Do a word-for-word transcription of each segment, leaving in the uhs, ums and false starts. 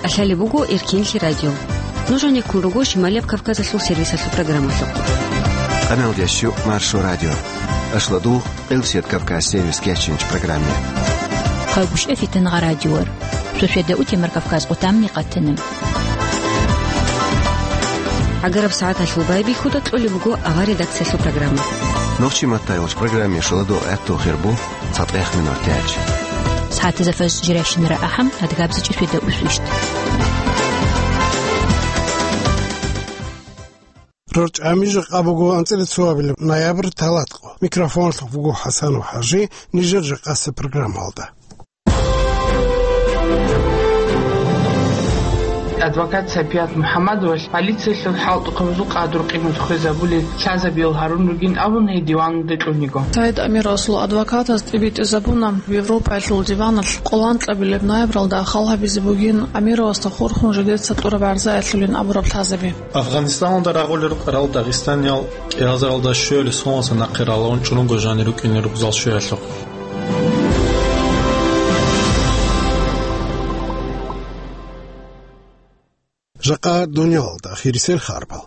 КӀалъалеб буго Эркинлъи радио. Нуж гьанеккун руго Шималияб Кавказалъул сервисалъул программалъухъ. Къаналдящу Маршо радио. Ашладу Къилсият Кавказ сервис кечинч программе. Хъагушев Фитангъа радиор. Сосведа Утемар Кавказ къутамни къатана. ГӀагараб сагӀаталъул байбихьуда кьолеб буго авар редакциялъул программа. Нохчи маттайолч программе шуладо гӀатту хирбу. ЦатӀех минут тяч. СагӀатазда фаз жиращинара ахӀам, адгабзичӀи светда усвищ. РорчӀами жакъа буго анцӀила цоабилеб ноябрь талатӀкъо. Микрофонлъухъ буго ХӀасанов ХӀажи, нижер жакъаса программалда. Адвокат Сапият МухӀаммадовалъ полициялъул хӀалтӀухъабазул къадру-къимат хвезабулел лъазабиял гьарун ругин абун гьей диваналде кьуниго. Саид Амировасул адвокатаз тӀибитӀизабуна Европаялъул диваналъ къоланкьабилеб ноябралда хал гьабизе бугин Амировасда хурхун жидеца тӀураб гӀарзаялъулин абураб лъазаби. Афганистаналда рагъулел рукӀарал дагъистаниял кӀиазаралда щуялъе соналъа нахъе раларун чӀун руго жанир рукӀине рукъзал щуялъухъ. Жакъа дуниялалда ахирисел харбал.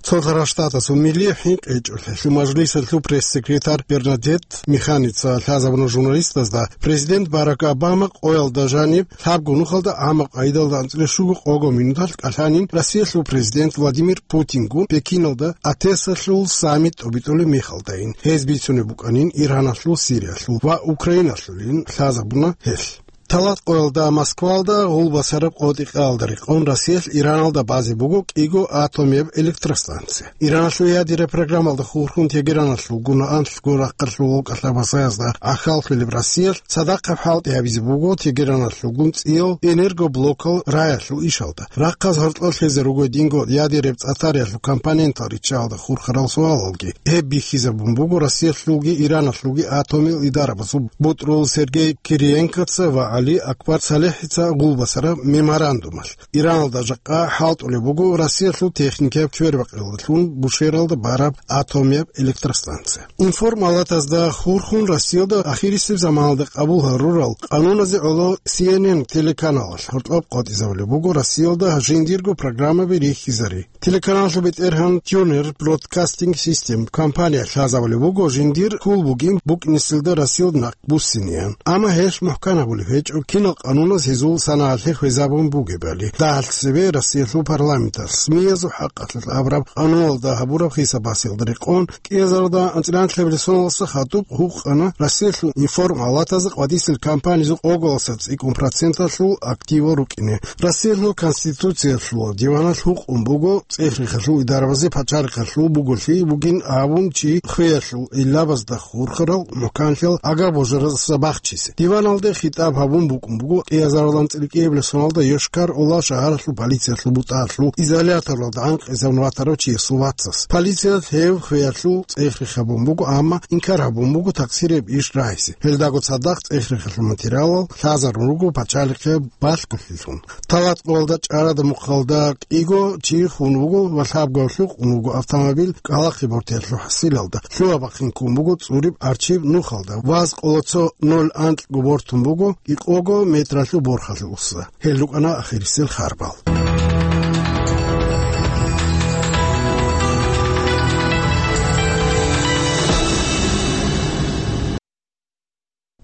Цолъарал Штатасул милли хӀинкъичӀолъиялъул мажлисалъул пресс-секретарь Бернадетт Миханица лъазабуна журналистазда президент Барак Обама къоялда жаниб лъабго нухалда гӀаммаб къайдалда анцӀила щуго-къого минуталъ кӀалъанин Россиялъул президент Владимир Путингун Пекиналда АТЭСалъул саммит тӀобитӀулеб мехалдайин. Гьез бицунеб букӀанин Ираналъул, Сириялъул ва Украиналъулин лъазабуна гьелъ. Талат къоялда Москвалда гъулбасараб къотӀи-къаялда рекъон Россиялъ Ираналда базе буго кӀиго атомияб электростанция. Ираналъул ядераб программалда хурхун Тегераналъулгун анлъго рахъалъулал кӀалъабасаязда гӀахьаллъулеб Россиялъ цадахъаб хӀалтӀи гьабизе буго Тегераналъулгун цӀиял энергоблокал раялъул ишалда. Рахъаз гьоркьор лъезе руго динго ядераб цӀатариялъул компонентал риччалда хурхарал суалалги. Гьеб бихьизабун буго Россиялъулги Ираналъулги атомил идарабазул бутӀрул Сергей Кириенкоца ва ГӀали Акбар СалихӀица гъулбасараб меморандумалъ. Ираналда жакъа хӀалтӀулеб буго Россиялъул техникаяб квербакъиялдалъун Бушералда бараб атомияб электростанция. Информалатазда хурхун Россиялда ахирисеб заманалда къабул гьарурал къануназе гӀоло Си Эн Эн телеканалалъ гьоркьоб къотӀизабулеб буго Россиялда жиндирго программаби рихьизари. Телеканаллъул бетӀергьан Turner Broadcasting System компания лъазабулеб буго жиндир хьул бугин букӀинесилда Россиялда нахъ буссинеян. Амма гьелъ мухӀкан гьабулеб гьечӀо, кинал къануназ гьезул санаялъе хвезабун бугебали. Дагьалъ цебе Россиялъул парламенталъ СМИ-язул хӀакъалъулъ абураб къануналда гьабураб хисаб-басиялда рекъон, кӀиазарда анцӀила анлъабилеб соналдаса хадуб гьукъана Россиялъул информалатазда къватӀисел компаниязул къоголаса цӀикӀкӀун проценталъул активал рукӀине. Россиялъул Конституциялъул диваналъ гьукъун буго цӀех-рехалъул идарабазе пачалихъалъул буголъи бугин абун чи хвеялъул гӀиллабазда хурхарал мухӀканлъиялъ агар-божаразда бахчизе. Диваналде хитӀаб гьабун букӀун буго кӀиазарилан цӀикӀкӀиябилеб соналда Йошкар-Ола шагьаралъул полициялъул бутӀалъул изоляторалда гӀанкъизабун ватарав чиясул вацас. Полициялъ гьев хвеялъул цӀех-рех гьабун буго, амма инкар гьабун буго такъсирияб иш рагьизе. Гьелдаго цадахъ цӀех-рехалъул материалал лъазарун руго пачалихъе балъголъилъун. Талат къоялда ЧӀарада мухъалда кӀиго чи хун вуго ва лъабгоялъухъ ун вуго автомобиль кӀкӀалахъе бортиялъул хӀасилалда. Лъугьа-бахъин ккун буго цӀуриб арчиб нухалда, ваз къоло цо ноль анкьго бортун буго кӀикъого метралъул борхалъуса. Гьел рукӀана ахирисел харбал.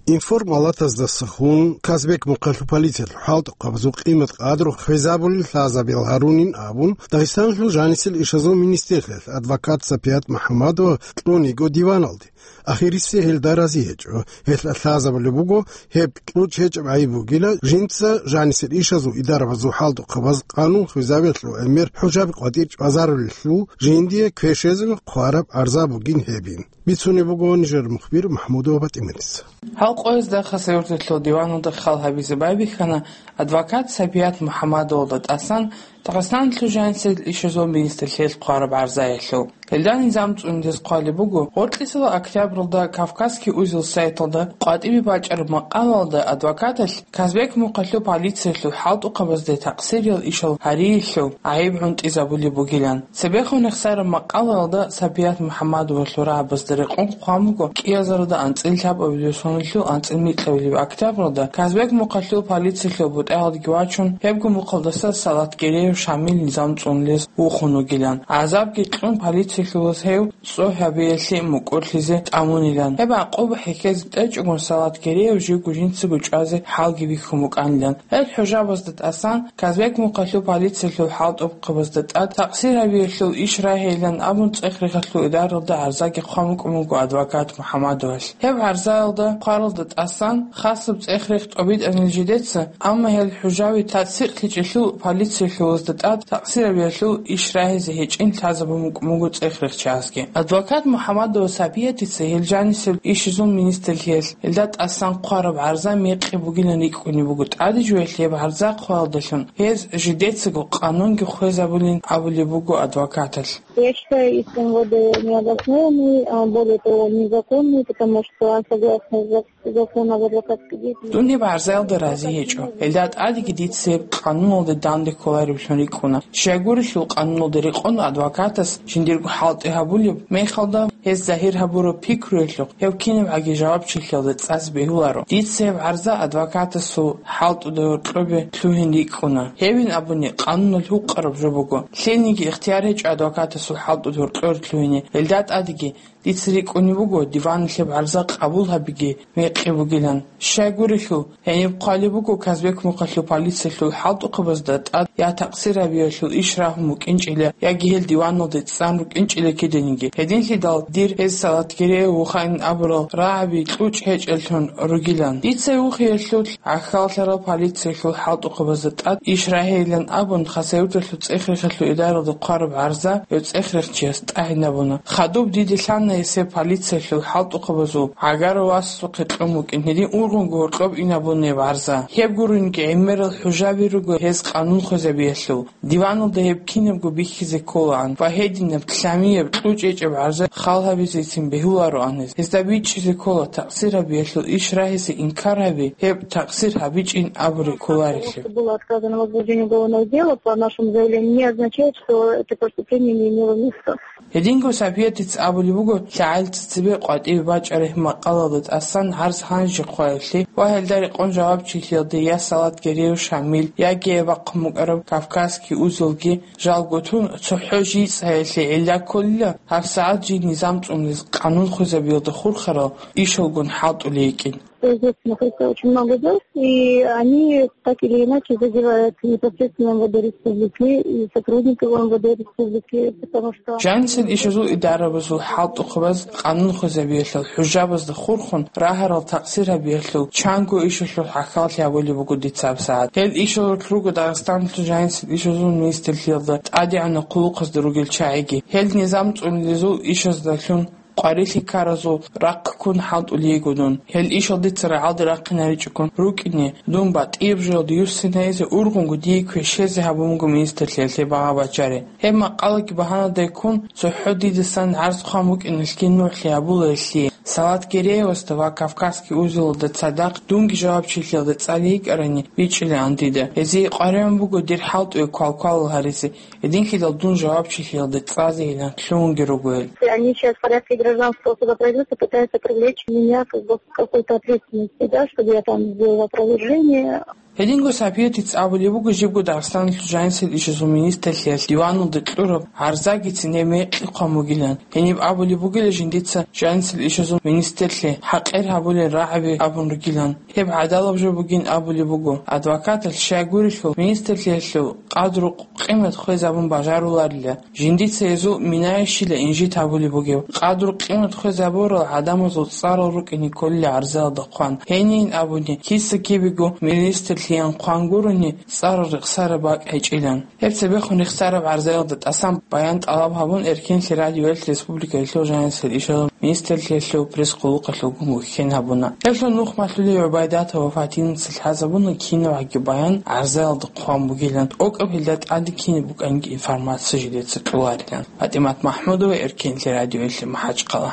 Информалатаздаса хун Казбек мухъалъул полициялъул хӀалтӀухъабазул къимат-къадру хвезабулел лъазабиял гьарунин абун, Дагъистаналъул жанисел ишазул министрлъиялъ адвокат Сапият МухӀаммадова кьун йиго диваналде. Ахирисеб гьелда рази гьечӀо, гьелъ лъазабулеб буго, гьеб кьучӀ гьечӀеб гӀайиб бугила, жинца жанисел ишазул идарабазул хӀалтӀухъабаз къанун хвезабиялъул гӀемер хӀужаби къватӀир чӀвазарулелъул жиндие квешезе хъвараб гӀарза бугин гьебин. Бицунеб буго нижер мухбир МахӀмудова ПатӀиманица. Гьал къоязда Хасавюрталъул диваналда хал гьабизе байбихьана адвокат Сапият МухӀаммадовалда тӀасан Дагъистаналъул жансил ишазул министрлъиялъ хъвараб гӀарзаялъул. Гьелда низам цӀундез хъвалеб буго, гъоркьисела октябралда Кавказский узел сайталда къватӀибе бачӀараб макъалалда адвокаталъ Казбек мухъалъул полициялъул хӀалтӀухъабазде такъсириял ишал гьариялъул гӀайиб гӀунтӀизабулеб бугилан. Цебехун рехсараб макъалаялда Сапият МухӀаммадовалъул рагӀабазда рекъон хъван буго кӀиазарда анцӀила лъабабилеб соналъул анцӀила микьабилеб октябралда Казбек мухъалъул полициялъул бутӀаялдеги вачун, гьебго мухъалдаса Салат Гереев Шамил низам цӀундез вухун вугилан. ГӀазабги кьун полициялъулаз гьев цӀо гьабиялъе мукӀурлъизе тӀамунилан. Гьеб гӀакъуба хӀехьезе тӀечӀогун Салат Гереев живго жинцаго чӀвазе хӀалги бихьун букӀанилан. Гьел хӀужабазда тӀасан Казбек мухъалъул полициялъул хӀалтӀухъабазда тӀад такъсир гьабиялъул иш рагьейилан абун цӀех-рехалъул идаралда гӀарзаги хъван букӀун буго адвокат МухӀаммадовалъ. Гьеб гӀарзаялда хъваралда тӀасан хасаб цӀех-рех тӀобитӀанил жидеца, амма гьел хӀужаби тасдикълъичӀелъул полициялъулазда тӀад такъсир гьабиялъул иш рагьизе гьечӀин лъазабун букӀун буго цӀех-рехчиясги. Адвокат МухӀаммадова Сапиятица гьел жанисел ишазул министрлъиялъ гьелда тӀасан хъвараб гӀарза мекъи бугилан рикӀкӀунеб буго, тӀаде жоялъ гьеб гӀарза хъвалдалъун гьез жидецаго къанунги хвезабулин абулеб буго адвокаталъ. Я считаю иск МВД необоснованный, а, более того, незаконный, потому что согласно зак-, закону об адвокатской деятельности... Дун гьеб гӀарзаялда рази гьечӀо. Гьелда тӀадеги дица гьеб къануналде данде кколареблъун рикӀкӀуна. Щайгурелъул къануналде рекъон адвокатас жиндирго хӀалтӀи гьабулеб мехалда, гьез загьир гьабураб пикруялъухъ гьев кинабгӀаги жавабчилъиялда цӀазе бегьуларо. Дица гьеб гӀарза адвокатасул хӀалтӀуда гьоркьобе лъугьин рикӀкӀуна. Гьевин абуни, къануналъ гьукъараб жо буго. Лъилниги ихтияр гьечӀо адвокатасул хӀалтӀуда гьоркьор лъугьине. Гьелда тӀадеги дица рикӀкӀунеб буго, диваналъ гьеб гӀарза къабул гьабиги мекъи бугилан. Щайгурелъул, гьениб хъвалеб буго Казбек мухъалъул полициялъул хӀалтӀухъабазда тӀад я такъсир гьабиялъул иш рагьун букӀинчӀила, яги гьел диваналде цӀан рукӀинчӀила киданиги. Гьединлъидал дир гьез Салат Гереев вухайин абурал рагӀаби кьучӀ гьечӀеллъун ругилан. Дица вухиялъул гӀахьаллъарал полициялъул хӀалтӀухъабазда тӀад иш рагьейилан абун, Хасавюрталъул цӀех-рехалъул идаралда хъвараб гӀарза гьев цӀех-рехчияс тӀагӀинабуна. Хадуб диде лъана гьесие полициялъул хӀалтӀухъабазул гӀагар васасухъе кьун букӀин, гьедин ургъунго гьоркьоб инабуна гьеб гӀарза. Гьеб гуринги гӀемерал хӀужаби руго гьез къанун хвезабиялъул. Диваналда гьеб кинабго бихьизе кколаан ва гьединаб лъамияб кьучӀ гьечӀеб гӀарза хал гьабизецин бегьулароан гьез. Гьезда бичӀчӀизе ккола такъсир гьабиялъул иш рагьизе инкар гьаби, гьеб такъсир гьабичӀин абуреб кколарелъул. Что было отказано в возбуждении уголовного дела по нашему заявлению, не означает, что это преступление не имело места. Гьединго Сапиятица абулеб буго, лъагӀел цебе къватӀибе бачӀараб макъалалда тӀасан гӀарз гьанже хъваялъе ва гьелда рекъон жавабчилъиялде я Салат Гереев Шамил, яги гьеб бахъун букӀараб Кавказский узелги жалго тун цохӀо жийцӀаялъе гӀилла кколила, гьабсагӀат жий низам цӀундез къанун хвезабиялда хурхарал ишалгун хӀалтӀулей йикӀин. Естественно, это очень много дел, и они так или иначе задевают непосредственно МВД республики и сотрудников МВД республики, потому что... Жанисел ишазул идарабазул хӀалтӀухъабаз къанун хвезабиялъул хӀужабазда хурхун рагьарал такъсир гьабиялъул чанго ишалъул гӀахьаллъи гьабулеб буго дица гьабсагӀат. Гьел ишалъулъ руго Дагъистаналъул жанисел ишазул министрлъиялда тӀадегӀанаб хъулухъазда ругел чагӀиги. Гьел низам цӀундезул ишаздалъун къварилъи ккаразул рахъ ккун хӀалтӀулей йиго дун. Гьел ишал дица рагӀалде рахъинаричӀого рукӀине, дун батӀияб жоялда юссинайзе ургъунго дие квешезе гьабун буго министрлъиялъе багъа-бачари. Гьеб макъалаги багьанадай ккун, цохӀо дидасан гӀарз хъван букӀиналъги нугӀлъи гьабула гьелъие. Салат Гереевасда ва Кавказский узелалда цадахъ дунги жавабчилъиялда цӀалей йикӀарани бичӀчӀилаан дида. Гьезие къваригӀун буго дир хӀалтӀуе квалквалал гьаризе. Гьединлъидал дун жавабчилъиялда цӀазейилан лъугьунги руго гьел. Они сейчас в порядке гражданского судопроизводства пытаются привлечь меня как бы к какой-то ответственности, да, чтобы я там сделала опровержение. Гьединго Сапиятица абулеб буго жибго Дагъистаналъул жанисел ишазул министрлъиялъ диваналда кьураб гӀарзагицин гьеб мекъи хъван бугилан. Гьениб абулеб бугила жиндица жанисел ишазул министрлъи хӀакъир гьабулел рагӀаби абун ругилан. Гьеб гӀадалаб жо бугин абулеб буго. Адвокаталъ щайгурелъул министрлъиялъул къадру-къимат хвезабун бажаруларила. Жиндица гьезул минаялъила инжит гьабулеб бугеб. Къадру-къимат хвезабурал гӀадамазул цӀарал рукӀине кколила гӀарзаялда хъван. Гьенин абуни, киса-кибего министр лъиялъ хъван гурони, цӀарал рехсараб бакӀ гьечӀилан. Гьеб цебехун рехсараб гӀарзаялда тӀасан баян тӀалаб гьабун, Эркенлъи радиоялъ республикаялъул жанисел ишазул министрлъиялъул пресс-къуллукъалъулгун вихьин гьабуна. Гьелъул нух малъулев ГӀубайдатова Фатинаца лъазабуна кинабгӀаги баян гӀарзаялда хъван бугилан, тӀокӀаб гьелда тӀаде кинаб букӀанги информация жидеца кьоларилан. ПатӀимат МахӀмудова, Эркенлъи радиоялъе, МахӀачхъала.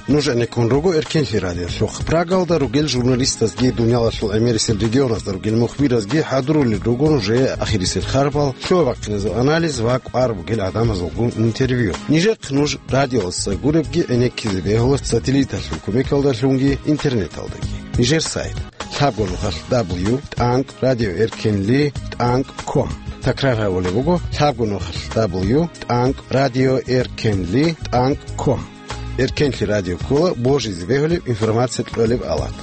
Нуж гӀенеккун руго Эркенлъи радиолъухъ. Прагалда ругел журналистазги, дуниялалъул гӀемерисел регионазда ругел мухбиразги хӀадурулел руго нужее ахирисел харбал, лъугьа-бахъиназул анализ ва кӀвар бугел гӀадамазулгун интервью. Нижехъ нуж радиоялдаса гуребги гӀенеккизе бегьула сателлиталъул кумекалдалъунги интернеталдаги. Нижер сайт: лъабго нухалъ дабл ю тӀанкӀ радио эркенли тӀанкӀ ком. Такрар гьабулеб буго: лъабго нухалъ дабл ю тӀанкӀ радио эркенли тӀанкӀ ком. Эркенлъи радио ккола божизе бегьулеб информация кьолеб алат.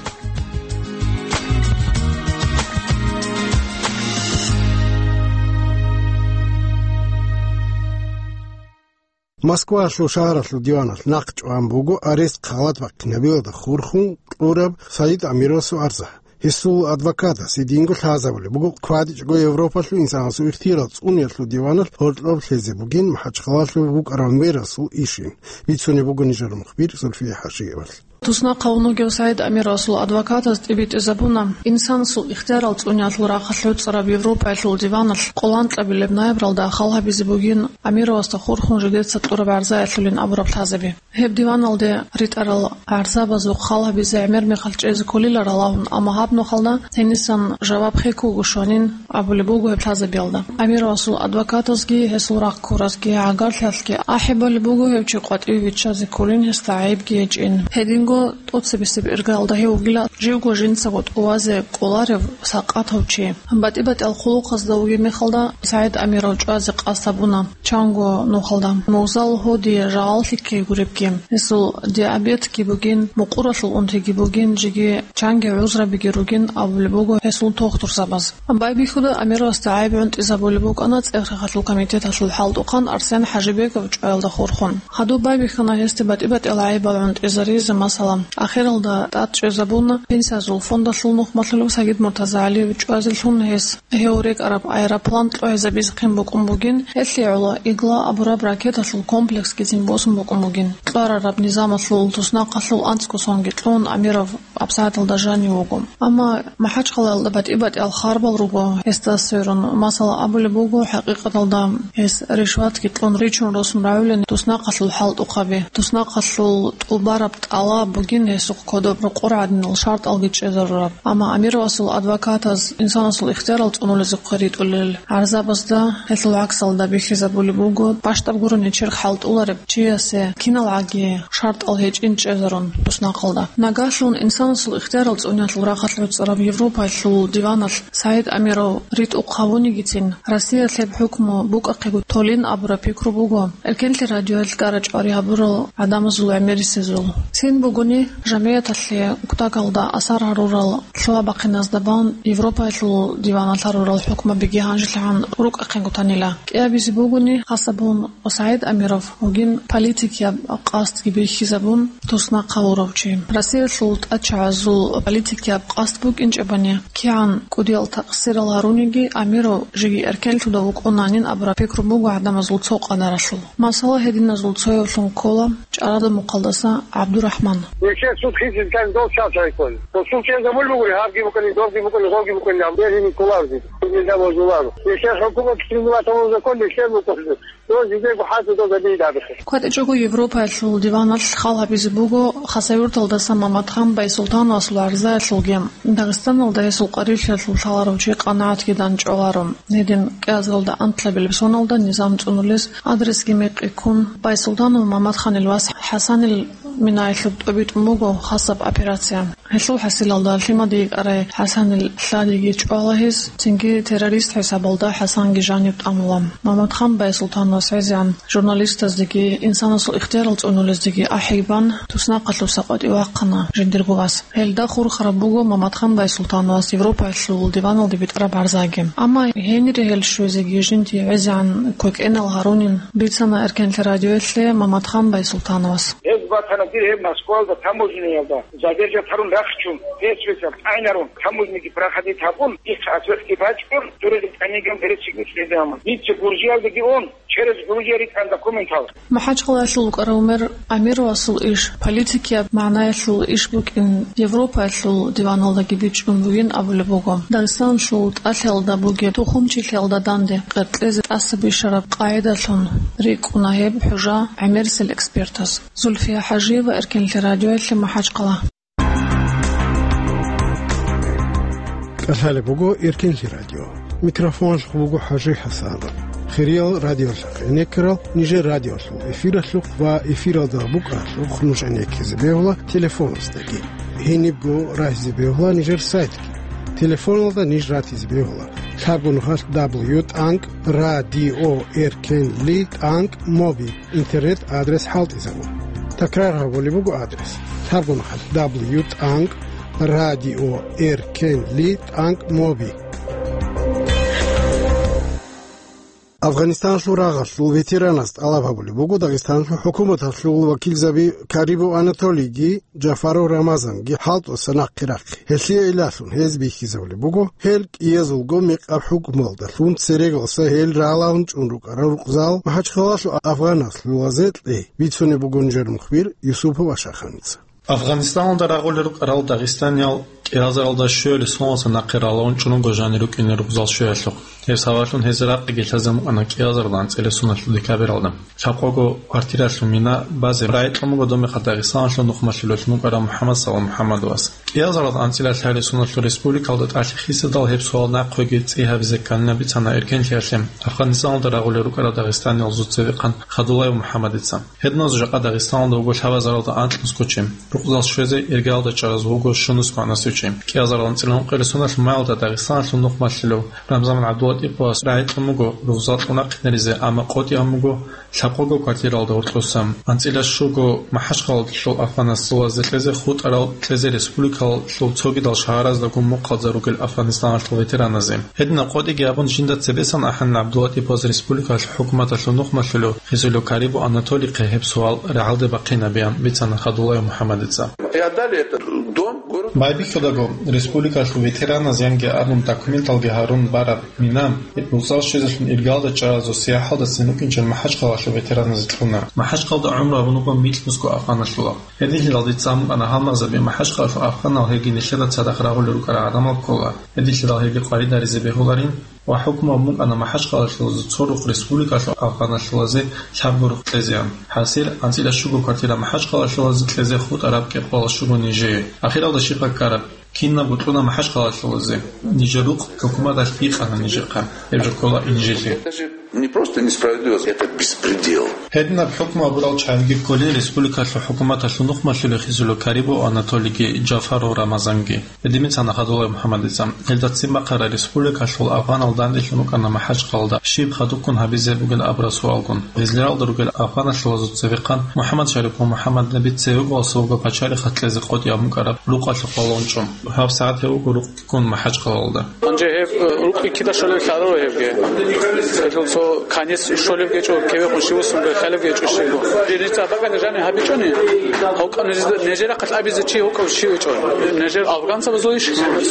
Москваялъул шагьаралъул диваналъ нахъ чӀван буго арест халат бахъинабиялда хурхун кьураб Саид Амировасул арза. Гьесул адвокатас гьединго лъазабулеб буго, квадичӀого Европалъул инсанасул ихтияр цӀуниялъул диваналъ гьоркьоб лъезе бугин МахӀачхъалалъув вукӀарав мерасул ишин. Бицунеб буго нижер мухбир Зульфия Хажиевалъ. Туснахъ гьавун вугев Саид Амировасул адвокатас тӀибитӀизабуна, инсанасул ихтиярал цӀуниялъул рахъалъ гӀуцӀараб Европаялъул диваналъ къоло анкьабилеб ноябралда хал гьабизе бугин Амировасда хурхун жидеца кьураб гӀарзаялъулин абураб лъазаби. Гьеб диваналде ритӀарал гӀарзабазухъ хал гьабизе гӀемер мехалъ чӀезе кколиларал абун, амма гьаб нухалда гьенисан жаваб хек вуго щванин абулеб буго гьеб лъазабиялда. Амировасул адвокатазги гьесул рахъ ккуразги гӀагарлъиялъги ахӀи балеб буго гьев чи къватӀиве виччазе кколин, гьесда гӀайибги гьечӀин. Гьединго тӀоцебесеб иргаялда гьев вугила живго жинцаго тӀувазе кӀоларев сакъатав чи. БатӀи-батӀиял хъулухъазда вугеб мехалда Саид Амиров чӀвазе къасд гьабуна. Чанго нухалда мугъзал гьодие жагъал лъикӀлъи гуребги, гьесул диабетги бугин, мукъуралъул унтиги бугин, жеги чанги гӀузрабиги ругин абулеб буго гьесул тухтурзабаз. Байбихьуда Амировасда гӀайиб гӀунтӀизабулеб букӀана ЦӀехрахъалъул комитеталъул хӀалтӀухъан Арсен ХӀажибеков чӀваялда хурхун. Гьадуб байбихьана гьесде батӀи-батӀиял гӀайибал гӀунтӀизаризе, масала, ахиралда тӀад чӀезабуна пенсиязул фондалъул нухмалъулев Сагид МуртазагӀалиев чӀвазелъун гьес. Гьев рекӀараб аэроплан кьогӀизабизехъин букӀун бугин, гьелъие гӀоло «Игла» абураб ракеталъул комплексгицин босун букӀун бугин. Кьварараб низамалъул туснахъалъул анцӀго сонги кьун, Амиров абсагӀаталда жанив вуго. Амма МахӀачхъалаялда батӀи-батӀиял харбал руго гьесда сверун. Масала, абулеб буго, хӀакъикъаталда гьес ришватги кьун ричун росун рагӀулин туснахъалъул хӀалтӀухъаби, туснахъалъул тӀубараб тӀалаб бугин гьесухъ кодоб рокъор гӀадинал шартӀалги чӀезарураб. Амма Амировасул адвокатаз инсанасул ихтиярал цӀунулезухъе ритӀулел гӀарзабазда гьелъул гӀаксалда бихьизабулеб буго, бащдаб гурони черх хӀалтӀулареб чиясе киналгӀаги шартӀал гьечӀин чӀезарун туснахъалда. Нагагьлъун инсанасул ихтиярал цӀуниялъул рахъалъ гӀуцӀараб Европаялъул диваналъ Саид Амиров ритӀухъ гьавунигицин, Россиялъ гьеб хӀукму букӀахъего толин абураб пикру буго. Эркенлъи радиоялъ кӀара-чӀвари гьабурал гӀадамазул гӀемерисезул. Цин бугони, жамигӀаталъе кутакалда асар гьарурал лъугьа-бахъиназда бан Европаялъул диваналъ гьарурал хӀукмабиги гьанжелъагӀан рукӀахъего танила. КӀиабизе бугони, хасабун ва СагӀид Амиров вугин политикияб къасдги бихьизабун, туснахъ гьавурав чи. Россиялъул тӀачагӀазул политикияб къасд букӀинчӀебани, кигӀан кӀудиял такъсирал гьаруниги, Амиров жеги эркенлъуда вукӀунанин абураб пикру буго гӀадамазул цо къадаралъул. Масала, гьединазул цоявлъун ккола чӀарада мухъалдаса ГӀабдурахман. Нилъер суд хисизкан дов чал чарайккун. Дов суд чӀезабулеб бугури, гьабги букӀани, довги букӀани, гъовги букӀани, гьаб бергьине кколарзи. Нилъер хӀукумат кицӀлъизабулеб закон нилъер букӀунеб. Дов жидего хӀалтӀи дов гьабизе абихъе. КватӀичӀого Европаялъул диваналъ хал гьабизе буго Хасавюрталдаса Маматхан Байсултановасул гӀарзаялъулги. Дагъистаналда гьесул къварилъиялъул лъаларав чи къанагӀатги данчӀваларо. Гьедин кӀиазаралда анкьабилеб соналда низам цӀунулес адресги мекъи ккун, Байсултанов Маматханил вас ХӀасанил Минаялъуб тӀобитӀун буго хасаб операция. Гьелъул хӀасилалда лъимаде йикӀарай ХӀасанил лъадиги чӀвала гьез, цинги террорист хӀисабалда ХӀасанги жаниб тӀамула. Маматхан Байсултановас гӀезегӀан журналистаздеги инсанасул ихтиярал цӀунулездеги ахӀи бан, туснахъалъуса къватӀив вахъана жиндирго вас. Гьелда хурхараб буго Маматхан Байсултановас Европаялъул диваналде битӀараб гӀарзаги. Амма гьенире гьел щвезеги жиндие гӀезегӀан квекӀенал гьарунин, бицана Эркенлъи радиоялъе Маматхан Байсултановас. Гьез Ватана дир гьеб Москвалда таможняялда задержат гьарун рахчун, гьес весал тӀагӀинарун, таможняги проходить гьабун, ихъ асухъги бачӀун, дуреги тӀамиган беречиги чӀезамун. Дица Гуржиялдаги ун, через Грузия ритӀан документал. МахӀачкъалаялъул вукӀарав мэр Амировасул иш, политикияб магӀнаялъул иш букӀин, Европаялъул диваналдаги бичӀчӀун бугин абулеб буго. Дагъистаналъул тӀалъиялда бугеб тухумчилъиялда данде къеркьезе тӀаса бищараб къагӀидалъун рикӀкӀуна гьеб хӀужа гӀемерисел экспертас. Зульфия ХӀажиева, Эркенлъи радиоялъе, МахӀачкъала. КӀалъалеб буго Эркенлъи радио. Микрофоналъухъ буго ХӀажи ХӀасанов. Хириял радиолъухъ гӀенеккарал нижер радиолъул эфиралъухъ ва эфиралда букӀаралъухъ нуж гӀенеккизе бегьула телефонасдаги. Гьенибго рагьизе бегьула нижер сайтги. Телефоналда ниж ратизе бегьула: лъабго нухалъ дабл ю тӀанкӀ радио эркенли тӀанкӀ моби. Интернет-адрес хӀалтӀизабун. Такрар гьабулеб буго адрес: лъабго нухалъ дабл ю тӀанкӀ радио эркенли тӀанкӀ моби. Афганистаналъул рагъалъул ветеранас тӀалаб гьабулеб буго Дагъистаналъул хӀукуматалъул вакилзаби Карибов Анатолийги Джафаров Рамазанги хӀалтӀуса нахъе рахъе. Гьелъие гӀиллалъун гьез бихьизабулеб буго, гьел кӀиязулго мекъаб хӀукмуялдалъун церегалъа гьел рагӀалаун чӀун рукӀарал рукъзал МахӀачхъалалъул афганалъулазе кьей, бицунеб буго нижер мухбир Юсупов Ашаханица. Афганистаналда рагъулел рукӀарал дагъистаниял кӀиазаралда щуялъе соналъа нахъе рагӀалаун чӀун руго жанир рукӀине рукъзал щуялъухъ. Гьеб сабаблъун гьез ракъиги лъазе мукӀана кӀиазаралда анцӀила соналъул декабралда. Лъабкъого квартиралъул мина базе рагӀи кьун буго доб мехалъ Дагъистаналъул нухмалъулелъун вукӀарав МухӀаммад Салам МухӀаммадовас. КӀиазаралда анцӀила лъари соналъул республикалда тӀалъи хисадал гьеб суал нахъеги цӀи гьабизе кканина бицана Эркенлъиялъе Афганистаналда рагъулел рукӀарал дагъистаниялзул цевехъан Хадулаев МухӀаммадица. Гьединазул жакъа Дагъистаналда вуго лъабазаралда анкьнусго чи. Рукъзал щвезе иргаялда чӀараз вуго щунус магӀнасев чи. КӀиазарал анцӀила ункъоялда соналъ маялда Дагъистаналъул нухмалъулев Рамзан ГӀабдулатӀиповас рагӀи кьун буго рукъзал кьун рахъинаризе, амма къотӀи ан буго лъабкъого квартиралда гьоркьоса. АнцӀила щуго МахӀачхъалалъул афганасулазе кьезе хутӀарал кьезе республикалъул цогидал шагьараздаго мухъалза ругел Афганистаналъул ветераназе. Гьединаб къотӀиги абун жинда цебесан ахӀанила ГӀабдулатӀиповас республикалъул хӀукуматалъул нухмалъулев хисулев Карибу Анатолихъе гьеб суал рагӀалде бахъинабеян бицана Хадулаев МухӀаммадица. И отдали этот дом, город. Байбихьудаго, республикалъул ветераназ янги абун документалги гьарун бараб мина, рукъзал щвезелъун иргалда чӀаразул сияхӀалдасан рукӀинчӀел МахӀачхъалалъул ветераназе кьуна. МахӀачхъалда гӀумру гьабун буго микьнусго афганалъулал. Гьединлъидал дица мукӀана гьалмагъзаби МахӀачхъалалъул афганал гьелги нилъеда цадахъ рагъулел рукӀарал гӀадамал ккола. Гьединлъидал гьелги къварид гьаризе бегьуларин ва хӀукму гьабун букӀана МахӀачхъалалъулазе цо рукъ республикалъул афганалъулазе лъабго рукъ кьезеян. ХӀасил, анцӀила щуго квартира МахӀачхъалалъулазе кьезе хутӀараб кӀикъоялда щуго нижее. Ахиралда щибха ккараб? Кинабго кьуна МахӀачхъалалъулазе. Нижер рукъ хӀукуматалъ бикъана нижехъа. Гьеб жо ккола инжитлъи. Это же не просто несправедливость, это беспредел. Гьединаб хӀукму гьабурал чагӀиги кколин республикалъул хӀукуматалъул нухмалъулел хисулев Карибов Анатолийги Джафаров Рамазанги. Гьедин бицана Хадулаев МухӀаммадица. Гьелда ццин бахъараб республикалъул афганал данделъун рукӀана МахӀачхъалалда щиб хадубккун гьабизе бугин абураб суалгун. Гъизлиралда ругел афганалъулазул цевехъан МухӀаммад Шарипов МухӀаммаднаби цеве вугевасда вуго пачалихъалъ кьезе къотӀи гьабун букӀараб рукъалъухъ балагьун чӀун. Гьаб сагӀат гьев вуго рукъ ккун МахӀачхъалалда. Гьанже гьеб, э, рукъги кида щолеб лъаро гьебги. Гьелъул цо канис щолеб гьечӀо, кевехъун щивасунго лъалеб гьечӀо щибго. Дица бакӀалда жаниб гьабичӀони, гьавкъа ниж-, нижер рахъалъ абизе чи гьукъав чи гьечӀо. Нижер афганцабазул иш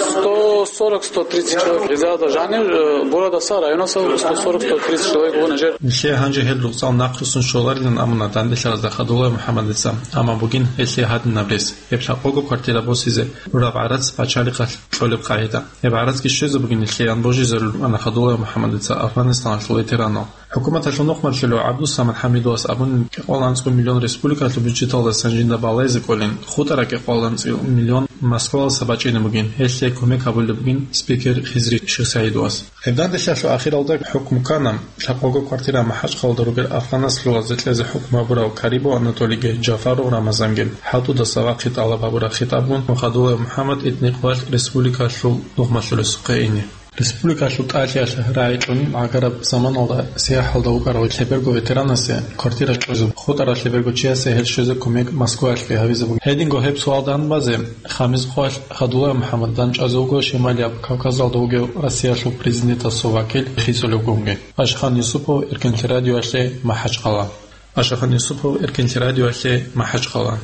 сто сорок, сто тридцать человек. Гъизалда жаниб, э, городаса, районаса сто сорок, сто тридцать человек вуго нижер. Нилъее гьанже гьел рукъзал нахърусун щоларилан абуна данделъаразда Хадулаев МухӀаммадица. Амма бугин гьелъие гьадинаб рес. Гьеб лъабкъого квартира босизе рураб гӀарац пачалихъалъ кьолеб къагӀида. Гьеб гӀарацги щвезабугин нилъеян божизарулеб букӀана Хадулаев МухӀаммадица Афганистаналъул ветеранал. ХӀукуматалъул нухмалъулев ГӀабдусамад ХӀамидовас абунин, кӀикъоялда анцӀго миллион республикалъул бюджеталдасан жинда балагьизе кӀолин, хутӀараб кӀикъоялда анцӀго миллион Москвалдаса бачӀине бугин, гьелъие кумек гьабулеб бугин спикер Хизри ШихсагӀидовас. Гьеб данделъиялъул ахиралда хӀукму ккана лъабкъого квартира МахӀачхъалалда ругел афганалъулазе кьезе хӀукму гьабурав Карибов Анатолийги Джафаров Рамазанги. ХӀалтӀудаса вахъи тӀалаб гьабураб хитӀабгун Хадулаев МухӀаммад итникъвалъ республикалъул нухмалъулесухъе ине. Республикалъул тӀалъиялъ рагӀи кьун гӀагараб заманалда сияхӀалда вукӀарав лъеберго ветеранасе квартира кьезе, хутӀарав лъеберго чиясе гьел щвезе кумек Москваялъги гьабизе буго. Гьединго гьеб суал данбазе, Хамизкъоялъ Хадулаев МухӀаммад данчӀвазе вуго Шималияб Кавказалда вугев Россиялъул президентасул вакил хисулевгунги. Ашхан Юсупов, Эркенлъи радиоялъе, МахӀачхъала. Ашахан Юсупов, Эркенлъи радиоялъе, МахӀачхъала.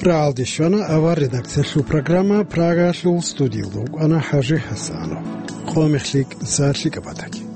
Рагьалде щвана авар редакциялъул программа, Прагаялъул студиялда вукӀана ХӀажи ХӀасанов. Къо мехлъи кӀиса лъикӀаб батаги.